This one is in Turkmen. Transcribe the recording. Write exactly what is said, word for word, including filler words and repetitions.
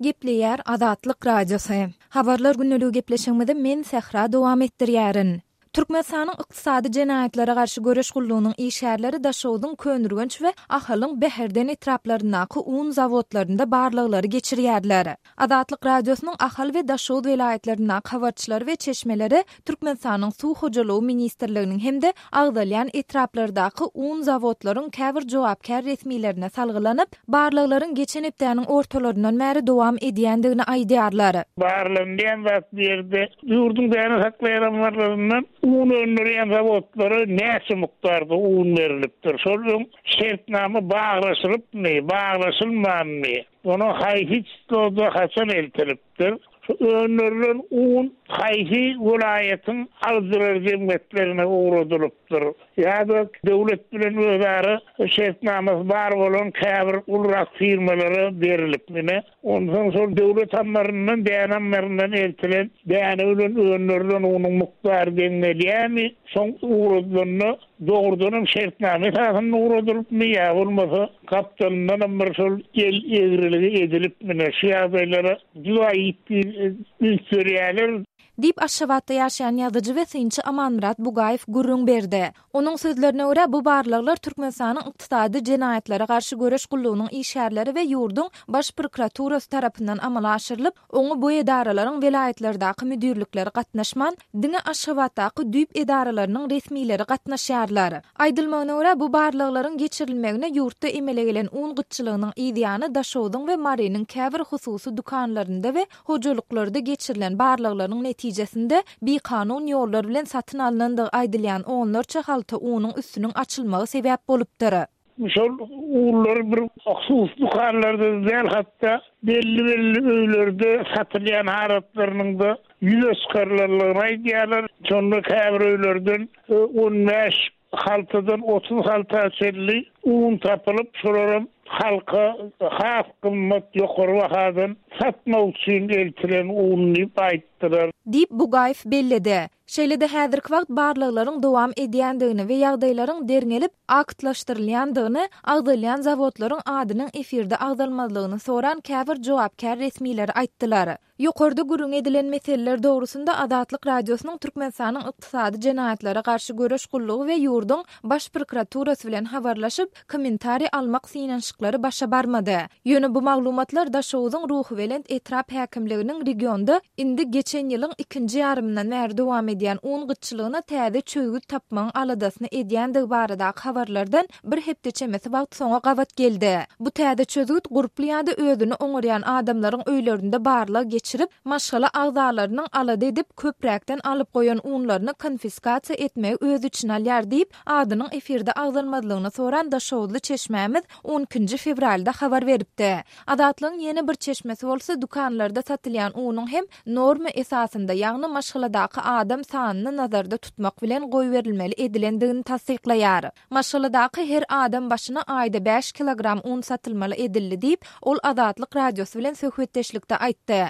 Gepleýär Azatlyk Radiosy. Habarlar gündeligi gepleşigimizi men Sähra dowam etdirýärin. Türkmenistanyň Ykdysady jenaýatlara garşy göreş gullugynyň işgärleri Daşogzuň Köneürgenç we Ahalyň Bäherden etraplaryndaky un zawodlarynda barlaglary geçirýärler. Azatlyk Radiosynyň Ahal we Daşoguz welaýatlaryndaky habarçylary we çeşmeleri Türkmenistanyň Suw hojalygy ministrliginiň hem-de agzalýan etraplardaky un zawodlaryň käbir jogapkär resmilerine salgylanyp, barlaglaryň geçen hepdäniň ortalaryndan bäri dowam edýändigini aýdýarlar. Barlanýan zat bu ýerde ýurduň däne saklaýan ammarlaryndan un öndürýän zawodlara näçe mukdarda un berilipdir? Şol öň şertnama baglaşylypmy, baglaşylmanmy? Onuň haýsy çisloda haçan eltilipdir? Şu öndürilen un haýsy welaýatyň alyjylar jemgyýetlerine ugradylypdyr? Ýa-da döwlet bilen özara şertnamasy bar bolan käbir ulurak firmalara berilipmi? Onsoň şol döwlet ammaryndan, däne ammaryndan eltilen däne bilen öndürilen unuň mukdary deň gelýärmi? Soň ugradylanda dogrudanam şertnama esasynda ugradylypmy ýa bolmasa gapdalyndanam bir şol el egriligi edilipmi? Şu ýagdaýlara juda ýitdi üns berýärler. Diýip, Aşgabatda ýaşaýan ýazyjy we synçy Amanmyrat Bugaýew gürrüň berdi. Onuň sözlerine görä, bu barlaglar Türkmenistanyň Ykdysady jenaýatlara garşy göreş gullugynyň işgärleri we ýurduň Baş prokuraturasy tarapyndan amala aşyrylyp, oňa bu edaralaryň welaýatlardaky müdirlikleri gatnaşman, diňe Aşgabatdaky düýp edaralarynyň resmileri gatnaşýarlar. Aýdylmagyna görä, bu barlaglaryň geçirilmegine ýurtda emele gelen un gytçylygynyň yzýany Daşogzuň we Marynyň käbir hususy dükanlarynda we hojalyklarda geçirilen barlaglaryň netijesinde bikanun ýollar bilen satyn alnandygy aýdylýan onlarça halta unuň üstüniň açylmagy sebäp bolupdyr. Şol unlar bir hususy dükanlarda däl, hatda belli-belli öýlerde satylýan harytlarynyň-da ýüze çykarylanlygyny aýdýarlar. Şonda käbir öýlerden on bäş haltadan otuz halta çenli un tapylyp, şolaram halka has gymmat ýokary bahadan satmak üçin eltilen un diýip aýtdylar. Diýip, Bugaýew belledi. Şeýle-de häzirki wagt barlaglaryň dowam edýändigini we ýagdaýlaryň derňelip aktlaşdyrylýandygyny, agzalýan zawodlaryň adynyň efirde agzalmazlygyny soran käbir jogapkär resmileri aýtdylar. Ýokarda gürrüň edilen meseleler dogrusynda Azatlyk Radiosynyň Türkmenistanyň Ykdysady jenaýatlara garşy göreş gullugy we ýurduň Baş prokuraturasy bilen habarlaşyp, kommentariý almak synanyşyklary başa barmady. Ýöne bu maglumatlar Daşoguzyň Ruhubelent etrap häkimliginiň regionda indi geçen ýylyň ikinji ýarymyndan bäri dowam edýän un gytçylygyna täze çözgüt tapmagyň aladasyny edýändigi baradaky habarlardan bir hepde çemesi wagt soňa gabat geldi. Bu täze çözgüt gurply ýa-da özüni oňarýan adamlaryň öýlerinde barlag geçirip, maşgala agzalarynyň alada edip köpräkden alyp goýan unlaryny konfiskasiýa etmegi öz içine alýar diýip, adynyň efirde agzalmazlygyny soran Daşoguzly çeşmämiz on ikinji fewralda habar beripdi. Azatlygyň ýene bir çeşmesi bolsa dükanlarda satylýan unuň hem norma esasynda, ýagny maşgaladaky adam sanyny nazarda tutmak bilen goýberilmeli edilendigini tassyklaýar. Maşgaladaky her adam başyna aýda bäş kilogram un satylmaly edildi diýip, ol Azatlyk Radiosy bilen söhbetdeşlikde aýtdy.